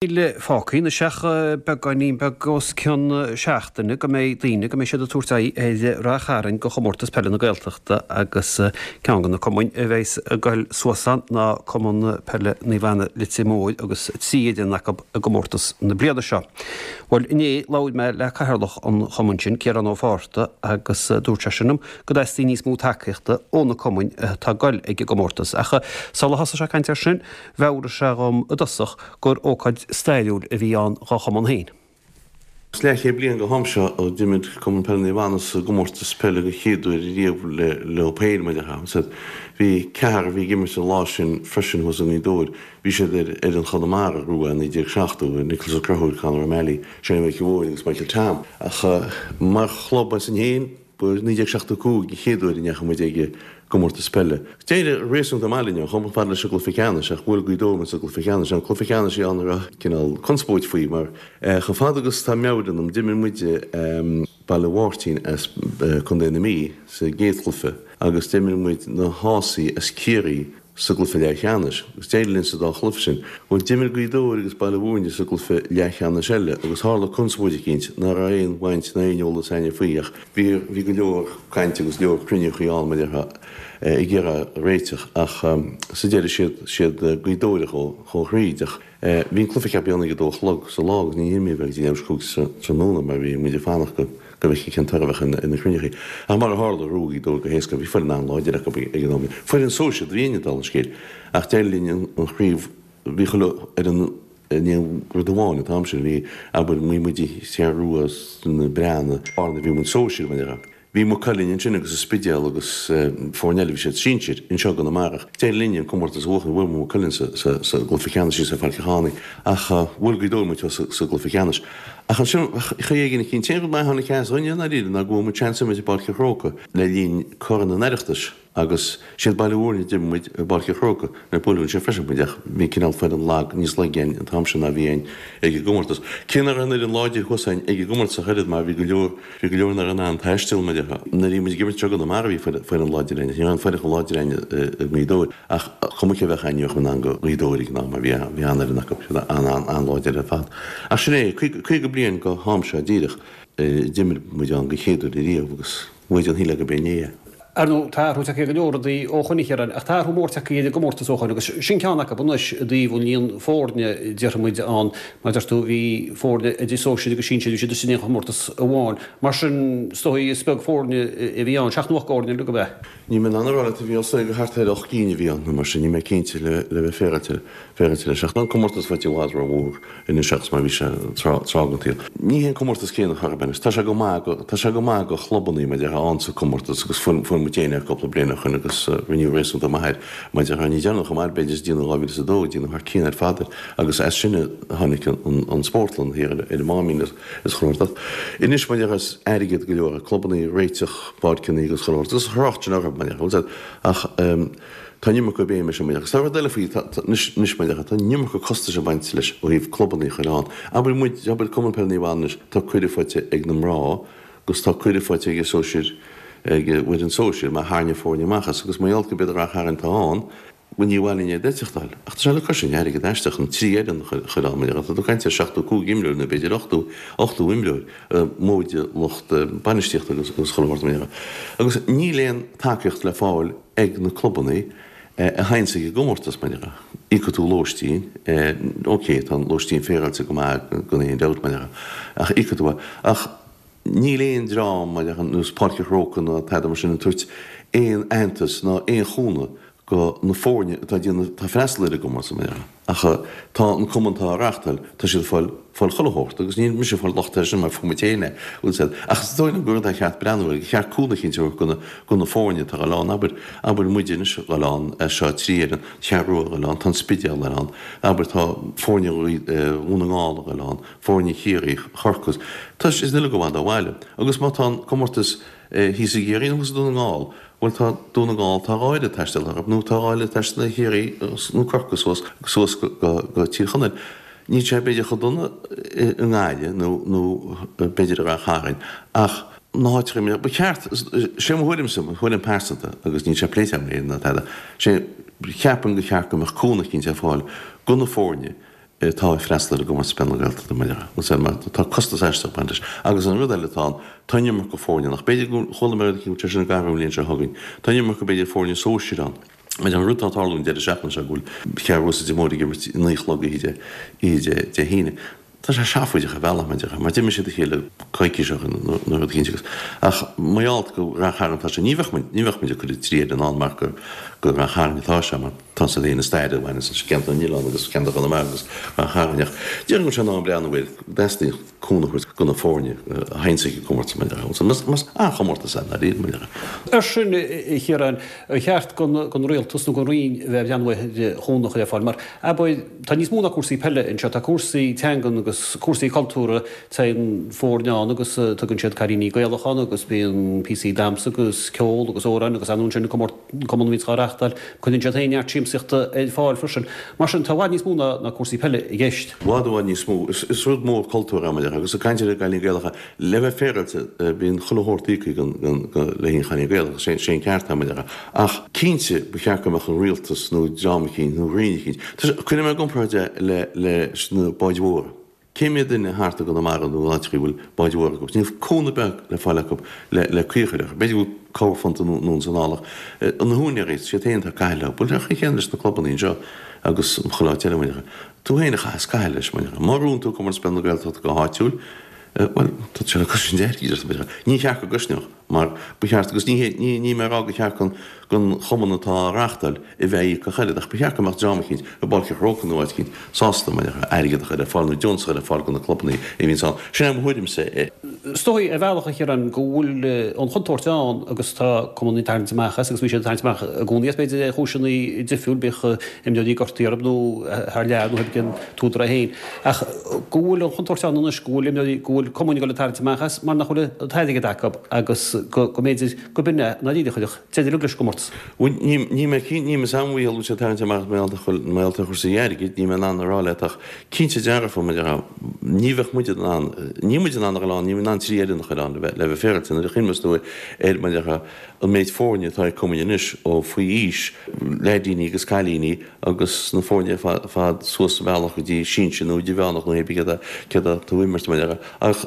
Níl fágtha anois ach beagáinín beag os cionn seachtaine go mbeidh daoine, go mbeidh siad ag tabhairt aghaidh ar Rath Chairn do Chomórtas Peile na Gaeltachta agus ceann de na cumainn a bheas ag goil suas ann ná Cumann Peile Naomh Anna Leitir Móir agus 3 fhoireann acu i gcomórtas na bliana seo. Bhuel, inné labhair mé le cathaoirleach an chumainn sin, Ciarán Ó Fátharta, agus dúirt seisean liom go dteastaíonn níos mó tacaíochta ó na cumainn atá ag goil ag an gcomórtas. Ach sula thosaigh sé ag caint air sin, mheabhraigh sé dhom i dtosach gur ócáid stairiúil a bhí ann dhá chumann féin. Is leathchéad bliain go ham seo ó d'imir Cumann Peile Naomh Anna sa gcomórtas peile go chéad uair riamh leo féin, mar a déarfá. Bhí ceathrar a bhí ag imirt an lá sin freisin thuas i nGaoth Dobhair. Bhí siad ar fhoireann Chonamara a ghnóthaigh i 1970, Nicholas Ó Conchúir, Conor O'Malley, Shane Mhic Mhóir agus Michael Tom. Ach mar chlub as sin féin, Ba i 1975 an chéad uair a ndeachaigh muid ag an gcomórtas peile. D'éirigh réasúnta maith linn ann, chuaigh muid fad leis an gcluiche ceannais ach bhuail Gaoth Dobhair muid sa gcluiche ceannais. An cluiche ceannais a bhí ann a raibh cineál conspóid faoi mar chomh fada agus tá meabhair ionam d'imir muide Baile Mháirtín as Contae na Mí sa gcéad chluiche agus d'imir muid na hÁsaigh as Ciarraí sa gcluiche leathcheannais, agus d'éirigh linn sa dá chluiche sin. Bhuel, d'imir Gaoth Dobhair agus Baile Mhúirne sa gcluiche leathcheannais eile agus tharla conspóid eicínt ná raibh aon bhaint ná aon eolas a'inne faoi ach bhí bhí go leor cainte agus leor cruinniúchaí ann mar a déarfá ag iarraidh réiteach ach sa deireadh siad siad Gaoth Dobhair a chuaigh thríd ach Bhí an cluiche ceaptha a dhéanamh ag a dó a chlog sa lá agus ní imríodh é go dtí leathuair tar éis a 5 tráthnóna mar bhí muid ag fanacht go go bhfeicfí cén toradh a bheadh ar na cruinniúchaí. Ach mar a tharla, ghnóthaigh Gaoth Dobhair go héasca. Bhí foireann an-láidir acu ag an am. Foireann sóisir a bhí againne dála an scéil. Ach d'éirigh linn an chraobh, bhí chuile fhoireann i ndiaidh rud amháin an t-am sin. Bhí, abair, bhí muid An Cheathrú Rua, na Breathnaigh, Blarney, bhí muid sóisir, mar a déarfá. Bhí Maigh Cuilinn ansin agus an Spidéal agus foirne eile, bhí siad sinsir, anseo i gConamara. D'éirigh linn an comórtas a bhuachan, bhuail muid Maigh Cuilinn sa gcluiche ceannais thíos i Pháirc an Chlánaigh ach bhuail Gaoth Dobhair muid sa gcluiche ceannais. Ach ansin, chaoi éigin an t-aon rud maith a tháinig as dhúinne i ndáiríre ná go bhfuair muid seans imirt i bPáirc an Chrócaigh le linn Corn an Oireachtais. Agus siad Baile Mhúirne a d'imir muid i bPáirc an Chrócaigh, nuair buaileadh ansin freisin muid ach bhí cineál foireann lag, níos laige againn an t-am sin ná bhí againn ag an gcomórtas. Cé nach raibh an fhoireann láidir thuas againn ag an gcomórtas ach oiread mar bhí go leor, bhí go leor nach raibh in ann taisteal mar a déarfá. Nuair a bhí muid ag imirt anseo i gConamara bhí foireann láidir againn ach ní raibh an foireann chomh láidir againn i nGaoth Dobhair. Ach cuma cé a bheadh againn ní bheadh in ann do Ghaoth Dobhair ag an am mar bhí bhí an-fhoireann acu, siad an-an-láidir ar fad. Ach sin é, 50 bliain go ham seo díreach a d'imir muid ann go chéad uair ariamh agus bhuaigh an shíl agaibh inné é. Ar ndóigh, tá athrú tagtha ar go leor rudaí ó shoin, a Chiaráin, ach tá athrú mór tagtha ar an gcomórtas ó shoin agus sin ceann acu anois i dtaobh an líon foirne, déarfaidh muid, ann. Mar a deir tú, bhí foirne idir sóisir agus sinsir, bhí siad istigh in aon chomórtas amháin. Mar sin, is dóigh, is beag foirne a bhí ann, seacht nó ocht bhfoirne uilig, ab ea? Níl mé in ann a rá leat, a Mhícheáil, is dóigh gur thart ar 8 gcinn a bhí ann nó mar sin, níl mé cinnte le bheith féaráilte féaráilte leis. Ach tá an comórtas faighte i bhfad rómhór anois agus mar a bhí sé tráth den tsaol. Ní hé an comórtas céanna chor ar bith anois. Tá sé go maith go, tá sé go maith go chlubannaí mar a déarfá ann sa comórtas agus fuair, fuair muid féin é cúpla bliain ó shoin agus rinneadh réasúnta maith air mar a déarfá. Ní deireanach chomh maith b'fhéidir is déanaí 2002, déanadh thar cionn ar fad air agus as sin a tháinig an, an, an spórtlann thiar ar an Máimín is, is chuile shórt. Anois mar a déarfá is airgead go leor ag clubannaí réiteach páirceanna agus chuile shórt agus thrácht sin orthu mar a déarfá ach tá an iomarca béime sin mar a déarfá. Agus tá rud eile faoi anois anois mar a déarfá tá an iomarca costais ag baint leis ó thaobh clubannaí a chur ann. Abair muid abair Cumann Peile Naomh Anna anois tá cuireadh faighte ag na mná agus tá cuireadh faighte ag an sóisir ag an bhfoireann sóisir mar tharraing foirne amach as agus mar gheall go b'iad Rath Chairn atá ann Bhuel, ní mhaith linn iad a eiteachtáil. Ach tá sé le cois an airgead aisteach an 3 fhoireann a chur ann, mar tá tú ag caint ar 75 imreoir nó b'fhéidir 80, 80 imreoir, móide lucht bainistíochta agus chuile shórt mar dhea. Agus níl aon tacaíocht le fáil ag na clubannaí a théanns ag an gcomórtas, mar dhea. Íocfaidh tú lóistín, ok, tá an lóistín féaráilte go maith gan aon dabht, mar dhea, ach íocfaidh tú é. Ach níl aon dream, mar dhea, ar nós Páirc an Chrócaigh ná tada mar sin ag tabhairt aon aitheantas ná aon chúnamh go na foirne atá ag déanamh, atá ag freastal ar an gcomórtas, mar dhea. Ach tá an cumann atá á reáchtáil, tá siad ag fáil, fáil chuile shórt agus níl mise ag fáil locht air sin mar fuair muid féin é, bhfuil 'fhios a'd. Ach is dóigh liom gur rud é ar cheart breathnú air, gur cheart cúnamh eicínt a thabhairt go na, go na foirne atá ag dul ann, abair, abair muide anois ag dul ann, seo 3 fhoireann, Ceathrú Rua ag dul ann, tá an Spidéal ag dul ann, abair tá foirne Dhún na nGall ag dul ann, foirne Chiarraí, Chorcaí, tá siad uilig i bhfad ó bhaile. Agus má tá an comórtas thíos i gCiarraí nó thuas i Dún na nGall, Bhuel tá Dún na nGall, tá dhá oiread taistil orthu, nó tá dhá oiread taistil ar Chiarraí nó Corcaigh suas, suas go, go Tír Chonaill. Níl sé b'fhéidir chomh dona i nGaillimh nó, nó b'fhéidir i Rath Chairn ach na háiteacha, ba cheart, sé mo thuairimse, mo thuairim pearsanta agus níl sé pléite agam le éinne ná tada, sé, cheapfainn gur cheart go mbeadh cúnamh eicínt ar fáil go na foirne. atá ag freastal ar an gComórtas Peile na Gaeltachta mar a mar tá costas aisteach ag baint leis. Agus an rud eile atá ann, tá an iomarca foirne ann. Ach b'fhéidir go chuala mé rud eicínt go bhfuil sé sin ag athrú an bhliain seo chugainn. Tá an iomarca b'fhéidir foirne sóisir ann. Mar an rud atá ag tarlú an deireadh seachtaine seo go bhfuil Ceathrú Rua is Leitir Móir ag imirt a 9 a chlog oíche Dé Dé hAoine. Tá sé seafóideach ar bhealach mar mar d'imir siad a chéile coicís ó shin nó rud eicínt agus ach mar gheall go Rath Chairn atá sé ní bheadh muid ní bheadh muid ag cur an trí fhoireann ann mar gur go Rath Chairn atá sé mar tá siad féin i stair a bhaineann leis ceantar na nOileán agus ceantar Chonamara agus Rath Chairn ach déarfainn go bhfuil sé in am breathnú air go dteastaíonn cúnamh a thabhairt do na foirne a théann ag an gcomórtas mar mar an-chomórtas é ndáiríre mar Ar sin a Chiaráin, ar cheart don rialtas nó don Roinn a bheith ag breathnú ar chúnamh a chur ar fáil mar abair tá níos mó ná cúrsaí peile anseo, tá cúrsaí teangan agus cúrsaí cultúrtha, téann foirne ann agus tugann siad Cailíní Gaelach ann agus bíonn píosaí damhsa agus ceol agus amhráin agus anonn sin an cumann a bhíonns á reachtáil, cuireann siad féin neart siamsaíochta ar fáil freisin. Mar sin tá i bhfad níos mó ná cúrsaí peile i gceist. I bhfad i bhfad níos mó. Is rud mór cultúrtha é mar agus ag caint ar an gCailín Gaelach, Le bheith féaráilte, bíonn chuile shórt íoctha le haghaidh an Chailín Gaelach, sé an ceart é mar a déarfá. Ach cinnte, ba cheart go mbeadh an rialtas nó dream eicínt nó roinn eicínt, cuirfidh mé i gcomparáid é leis na báid mhóra. Cé mhéad duine thart i gConamara nó in áiteachaí a bhfuil báid mhóra acu? Níl cúnamh beag le fáil acu le caoi a chur orthu. B'fhéidir go bhfuil corrphunt anonn is anall ach na húinéirí, siad féin atá ag caitheamh leo. Bhuel, an chaoi chéanna leis na clubannaí anseo agus chuile áit eile, mar a déarfá. Tú féin a chaitheas caitheamh leis, mar a déarfá. Má ghnóthaíonn tú Comórtas Peile na Gaeltachta go háitiúil, Bhuel, tá sé le cosaint airgid ar bith. Ní cheart go gcosnódh, mar ba cheart, agus ní hé, ní, níl mé ag rá gur cheart don, don chumann atá á reáchtáil a bheith ag íoc ach oiread, ach ba cheart go mbeadh dream eicínt, i bPáirc an Chrócaigh nó áit eicínt, sásta, mar a déarfá, airgead a chur ar fáil nó deontas a chur ar fáil do na clubannaí a bhíonns ann. Sin é mo thuairimse. Is dóigh, ar bhealach, a Chiaráin, go bhfuil an chontúirt ann agus tá cumann ag tarraingt amach as agus bhí siad ag tarraingt amach i gcónaí as, b'fhéidir, ar chúiseanna difriúil, bíodh imreoirí gortaithe orthu nó thar lear nó ag an t-údar é féin. Ach go bhfuil an chontúirt ann anois go bhfuil imreoirí, go bhfuil cumainn ag dul ag tarraingt amach as mar nach bhfuil an t-airgead acu agus go mb'fhéidir go b'in é ndáiríre a chuirfeadh deireadh leis an gcomórtas. Bhuel, níl mé cinnte, níl a fhios agam a bhfuil siad ag tarraingt amach mar gheall ar chúrsaí airgid, níl mé in ann a rá leat ach cinnte dearfa, mar a déarfá, ní bheadh muid in ann, níl muid in ann a dhul ann, níl muid in ann 3 fhoireann a chur ann le bheith féaráilte. Nuair a chuimhneos tú ar, mar a déarfá, an méid foirne atá ag cumainn anois ó faoi aois, leaidíní agus cailíní, agus na foirne ar fad suas an bealach go dtí sinsir nó idirmheánach nó hébrí céard céard atá tú ag imirt mar a déarfá. Ach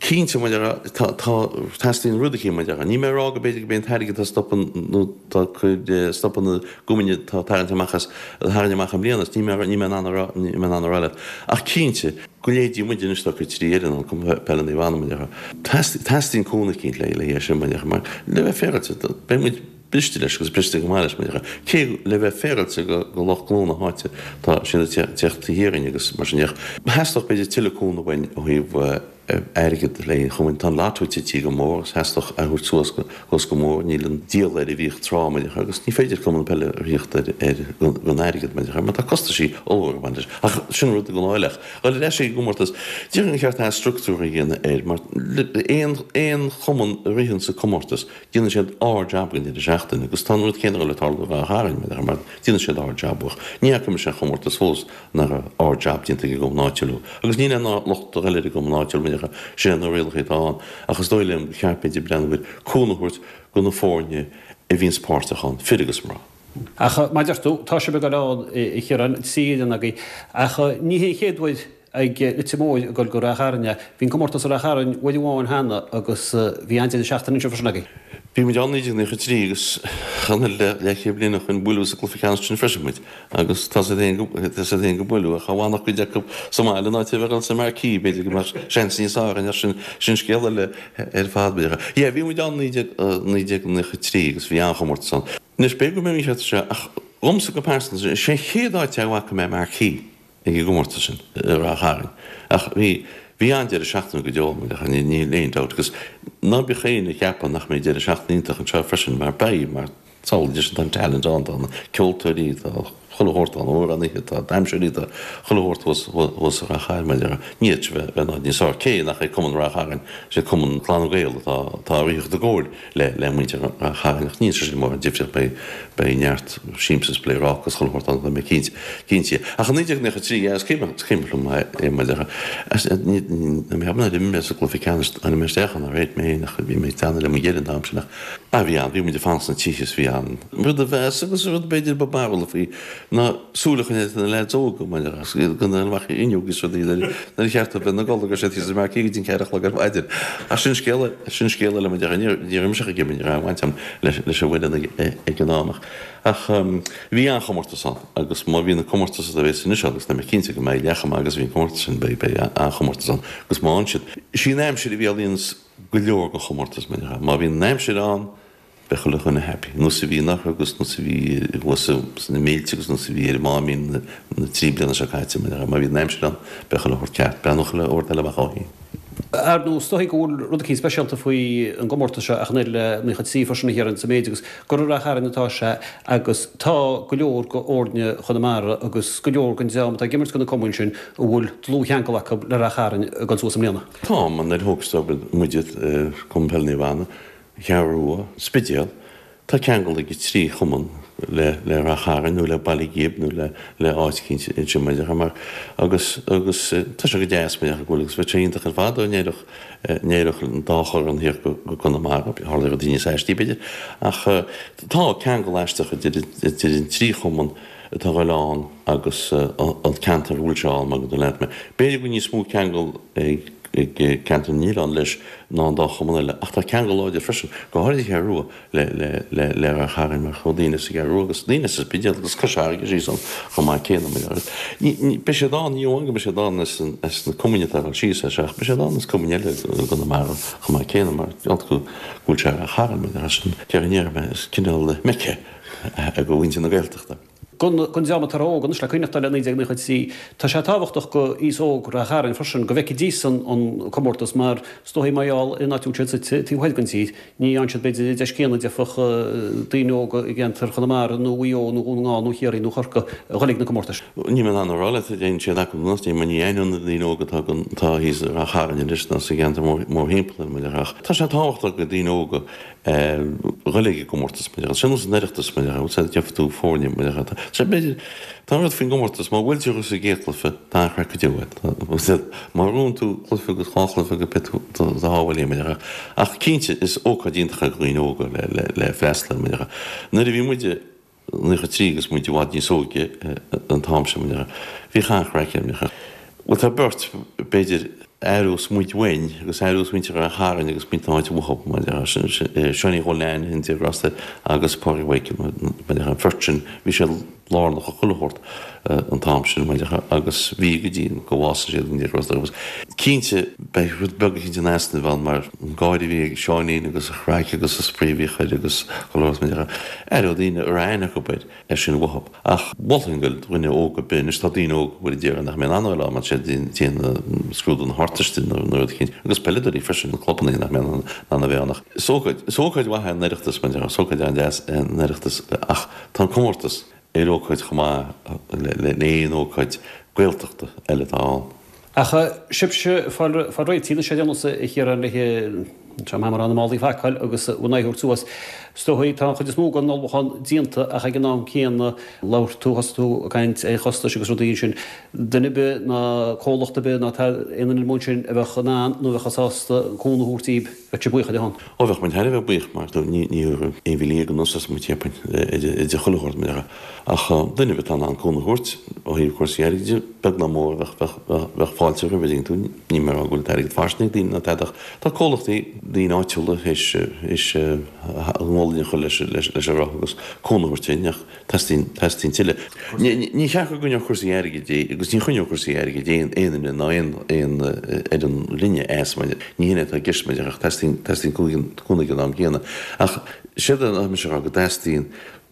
cinnte mar a déarfá tá tá teastaíonn rud eicínt mar a déarfá. Níl mé ag rá go b'fhéidir go b'é an t-airgead atá stopadh nó tá ag cur stopadh na gcumainn atá ag tarraingt amach as a tharraing amach i mbliana níl mé níl mé in ann a rá níl mé in ann a rá leat. Ach cinnte go leithéidí muid anois atá ag cur 3 fhoireann ann Cumann Peile Naomh Anna mar a déarfá. Teastaíonn cúnamh eicínt le le haghaidh sin mar a déarfá mar le bheith féaráilte beidh muid briste leis agus briste go maith leis mar a déarfá. Cé le bheith féaráilte go go lucht gnó na háite tá siad ag teacht thiar orainn agus mar sin de. Theastódh b'fhéidir tuilleadh cúnamh uainn ó thaobh airgead le haghaidh an chumainn. Tá an lotto tite go mór agus theastódh é a thabhairt suas suas go mór. Níl an díol air a bhíodh tráth mar a déarfá agus ní féidir cumann peile a thíocht ar ar gan airgead mar a déarfá mar tá costaisí ollmhóra ag baint leis. Ach sin rud go lá eile. Ach dhul ar ais ag an gcomórtas, déarfainn gur cheart athstructúrú a dhéanamh air mar aon aon chumann a ritheann sa comórtas Déanann siad ard-jab den deireadh seachtaine agus tá an rud céanna ag dul ag tarlú i Ráth Chairn mar déanann siad ard-jab ach ní fhaca mise aon chomórtas fós nach raibh ard-jab déanta ag an gcumann áitiúil agus níl aon locht a dhul ar an gcumann áitiúil mar sin é na rialacha atá ann ach is dóigh liom gur cheart b'fhéidir breathnú ar cúnamh a thabhairt do na foirne a bhíonns páirteach ann, fir agus mná. Ach mar a deir tú, tá sibh ag dul ann, a Chiaráin, 3 fhoireann agaibh ach ní hé an chéad uair ag Leitir Móir ag dul go Ráth Chairn é. Bhí an comórtas i Ráth Chairn uair amháin cheana agus bhí an-deireadh seachtaine anseo freisin agaibh. Bhí muid ann 1993 agus chan eil leathchéad bliain ó shoin buaileadh sa gcluiche ceannais sin freisin muid agus tá siad féin go tá siad féin go buaileadh ach dá bhfanfadh cuid acu sa mbaile in áit a bheith ag dul sa marquee b'fhéidir go mbeadh seans níos fearr againn ach sin sin scéal eile ar fad b'fhéidir. Yeah bhí muid ann 1993 agus bhí an-chomórtas ann. Anois b'fhéidir go mbeidh mé mícheart anseo ach dhomsa go pearsanta is é an chéad áit a bhfaca mé marquee. ag an gcomórtas sin i Ráth Chairn. Ach bhí, bhí an-deireadh seachtaine go deo ann, níl aon dabht. Agus ná bíodh éinne ag ceapadh nach mbeidh deireadh seachtaine iontach anseo freisin, mar beidh, mar samhlaigh leis, tá an talent ann, tá na ceoltóirí, tá chuile shórt ann, amhránaithe, tá damhsóirí, tá chuile shórt thuas, thuas i Ráth Chairn, mar a déarfá. Ní fhéadfadh sé bheith, bheith in áit níos fearr. Cé nach é Cumann Ráth Chairn, is é Cumann Clanna Gael atá, atá ag ritheacht i gcomhair le le muintir Ráth Chairn ach ní sé sin mórán difríocht beidh beidh neart siamsa is pléaráca is chuile shórt ann tá mé cinnte cinnte. Ach i 1993 yeah is cuimhin is cuimhin liom é mar a déarfá ní ní mé nár imir mé sa gcluiche ceannais tháinig mé isteach ann ar réit mé féin ach bhí mé ag teannadh le mo dheireadh an t-am sin ach. Ah bhí an, bhí muid ag fanacht sna tithe is bhí an rud a bheas agus rud b'fhéidir ba barúla faoi ná súil a choinneáil ar na leaids óga mar agus iad gan amach ar fhuinneog is rudaí nuair a cheart dóibh bheith ina gcodladh go raibh siad thíos ar marquee go dtí an ceathair a chlog ar maidin. Ach sin scéal eile, sin scéal eile mar ní raibh mise ach ag imirt, ní raibh aon bhaint agam leis an bhfoireann ag an am ach ach bhí an-chomórtas ann agus má bhíonn an comórtas a bheas anois ann agus tá mé cinnte go mbeidh leath chomh maith agus a bhí an comórtas sin beidh beidh an-chomórtas ann agus má fhanann siad. Is í an aimsir a rialaíonns go leor den chomórtas, mar déarfá. Má bhíonn an aimsir ann, beidh chuile dhuine happy. Nós a bhí in oirthear agus nós a bhí thuas sna mílte agus nós a bhí ar an Máimín na trí bliana seo caite, mar déarfá. Má bhíonn an aimsir ann, beidh chuile shórt ceart. Breathnóidh chuile shórt eile amach ó shin. Ar ndóigh, is dóigh go bhfuil rud eicínt speisialta faoi an gcomórtas seo ach an oiread le 93 freisin a Chiaráin sa méid agus gur i Rath Chairn atá sé agus tá go leor de fhoirne Chonamara agus go leor den dream atá ag imirt do na cumainn sin a bhfuil dlúthcheangal acu le Rath Chairn ag dul suas i mbliana. Tá, mar nuair a thógas tú muide, Cumann Peile Naomh Anna, Cheathrú Rua, Spidéal, tá ceangal ag an trí chumann le le Rath Chairn nó le Baile Ghib nó le le áit eicínt ansin mar déarfá mar agus agus tá sé go deas mar déarfá go bhfuil agus bheadh sé iontach ar fad dá n-éireodh n-éireodh an dá chorn thiar go go Conamara, tharla rudaí níos aistí b'fhéidir ach tá ceangal aisteach idir idir an trí chumann atá ag dul ann agus an ceantar a bhfuil sé ann, mar go leat mé. B'fhéidir go bhfuil níos mó ceangal ag ceantar na nOileán leis ná an dá chumann eile, ach tá ceangal láidir freisin, go háirid an Cheathrú Rua, le le le Rath Chairn mar chuaigh daoine as an gCeathrú Rua agus daoine as an Spidéal agus Cois Fharraige síos ann chomh maith céanna. Mar beidh siad ann, ní amháin go mbeidh siad ann as as na cumainn atá ag dul síos as ach beidh siad ann as cumainn eile i gConamara chomh maith céanna mar go go bhfuil sé i Rath Chairn mar sin déarfainn déarfaidh mé is cineál Mecca é do mhuintir na Gaeltachta. Don dream atá óg anois le cuimhneachtáil le 1993, tá sé tábhachtach do aos óg Rath Chairn freisin go bhfeicfidís an comórtas mar is dóigh mar gheall ar an áit a bhfuil siad suite taobh thoir den tír, ní fhaigheann siad b'fhéidir an deis céanna a d'fhéadfadh daoine óga i gceantar Chonamara nó Mhaigh Eo nó Dhún na nGall nó Chiarraí nó Chorcaí a dhul ag na comórtais. Níl mé in ann a rá leat an dtéann siad acu nó ní mar ní aithneoidh na daoine óga atá atá thíos i Rath Chairn anois ná sa gceantar mórthimpeall air mar ach tá sé tábhachtach do daoine óga dhul ag an gcomórtas, mar déarfá. Sin nós an Oireachtais, mar déarfá, bhfuil gheobhaidh tú foirne, mar déarfá. Tá sé, b'fhéidir, tá an rud faoin gcomórtas, má bhuailtear thú sa gcéad chluiche, tá an-chraic go deo agat. Má bhuann tú cluiche agus dhá chluiche go beidh tú do shábháil, mar déarfá. Ach cinnte, is ócáid iontach é do dhaoine óga le, le, le freastal air, mar déarfá. Nuair a bhí muide, 93 agus muid i bhfad níos óige an t-am sin, mar déarfá. Bhíodh an-chraic ann, bhíodh. Bhuel, tá beirt, b'fhéidir, a aireos muid uainn agus a aireos muintir Ráth Chairn agus muintir na háite uathu, mar déarfá, Seánie Chóil Neain, an Dé grásta air, agus Pádraig Mhichael, mar déarfá, an bheirt sin, bhí siad lárnach i chuile shórt an t-am sin, mar déarfá, agus bhí go dtí go bhásaigh siad, an Dé grásta orthu. Cinnte, beidh rud beag eicínt in easnamh ann mar an gáire a bhí ag Seáinín agus an chraic agus an spraoi a bhíodh air agus chuile shórt, mar déarfá, aireoidh daoine a raibh aithne acu air, air sin uathu. Ach mholfainn do dhuine óg ar bith, anois tá daoine óga bhfuil a déarfainn nach mbeidh in ann a dhul ann mar tá siad ag déanamh scrúdú na hArdteiste nó rud eicínt, agus peileadóirí freisin, na clubanna nach mbeidh in ann a bheith ann ach is ócáid, is ócáid mhaith é an Oireachtas, mar déarfá, is ócáid an-deas é an Oireachtas ach tá an comórtas ar ócáid chomh maith le haon ócáid Gaeltachta eile atá ann. Ach sibhse ag fáil réitithe anois ar aon nós a Chiaráin le tá mé mar na málaí a phacáil agus bhur n-aghaidh a thabhairt suas. Is dóigh tá an chuid is mó den ullmhúchán déanta ach ag an am céanna labhair tú, thosaigh tú ag caint ar chostais agus rudaí ansin. Duine ar bith ná comhlacht ar bith ná aon duine amuigh ansin a bheadh in ann nó a bheadh sásta cúnamh a thabhairt daoibh, bheadh siad buíoch ar a shon. Ó bheadh muid thar a bheith buíoch mar ní thabharfadh 11,000 anuas as muid cheapfainn idir chuile shórt mar déarfá. Ach duine ar bith atá in ann cúnamh a thabhairt ó thaobh cúrsaí airgid de, beag ná mór, bheadh fáilte roimhe, an dtuigeann tú. Níl mé ag rá go bhfuil an t-airgead fairsing ag daoine ná tada ach tá comhlachtaí, daoine áitiúla théis a ngualainn a chur leis an roth agus cúnamh a thabhairt dúinn ach teastaíonn, teastaíonn tuilleadh. Ní cheart go gcoinneodh cúrsaí airgid é agus ní choinneodh cúrsaí airgid aon duine ná aon fhoireann linne as mar ní hin é atá i gceist mar ach teastaíonn, teastaíonn cúnamh ag an am gcéanna. Ach séard atá mise a rá go dteastaíonn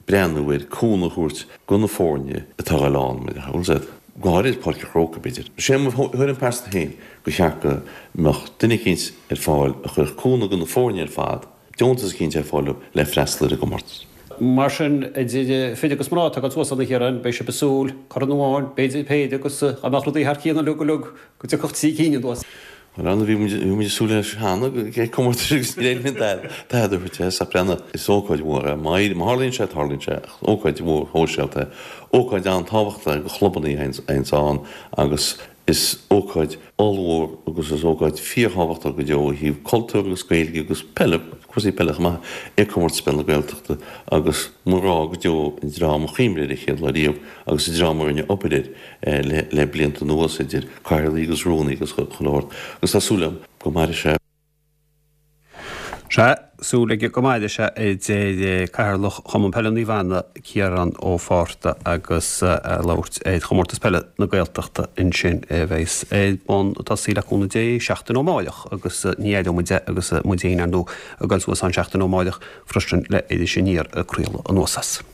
breathnú ar cúnamh a thabhairt do na foirne atá ag dul ann, mar a bhfuil go háirid Páirc an Chrócaigh, b'fhéidir. Sé mo thuairim pearsanta féin gur cheart go mbeadh duine eicínt ar fáil a chuirfeadh cúnamh do na foirne ar fad, deontas eicínt ar fáil dóibh le freastal ar an gcomórtas. Mar sin, idir fir agus mná atá ag dul suas ann a Chiaráin, beidh sibh ag súil, corn amháin, b'fhéidir péire agus dá mbeadh rudaí thar cionn uilig uilig go dtiocfadh trí cinn anuas. Bhuel, ar ndóigh, bhí muid, bhí muid ag súil leis cheana ag comórtais agus níor éirigh linn tada a thabhairt as ach breathnaigh, is ócáid mhór é. Má éiríonn, má tharlaíonn sé, tarlaíonn sé. Ach ócáid mhór shóisialta é. Ócáid an-tábhachtach é do chlubanna a théanns ann agus is ócáid ollmhór agus is ócáid fíorthábhachtach go deo ó thaobh cultúr agus Gaeilge agus peile. cúrsaí peile chomh maith, é Comórtas Peile na Gaeltachta agus mo ghrá go deo an dream a chuimrigh air an chéad lá riamh agus an dream a rinne obair air le blianta anuas, idir cathaoirligh agus rúnaí agus chuile shórt agus tá súil agam go mairfidh sé. Sea, súil aige go mairfidh sé, a deir Cathaoirleach Chumann Peile Naomh Anna, Ciarán Ó Fátharta agus é ag labhairt ar Chomórtas Peile na Gaeltachta ansin a bheas ar bun ag tosaí le cúnamh Dé seachtain ó amáireach agus ní aireoidh muid é agus muid féin ar ndóigh ag dul suas ann seachtain ó amáireach freisin le Iris Aniar ag craoladh anuas as.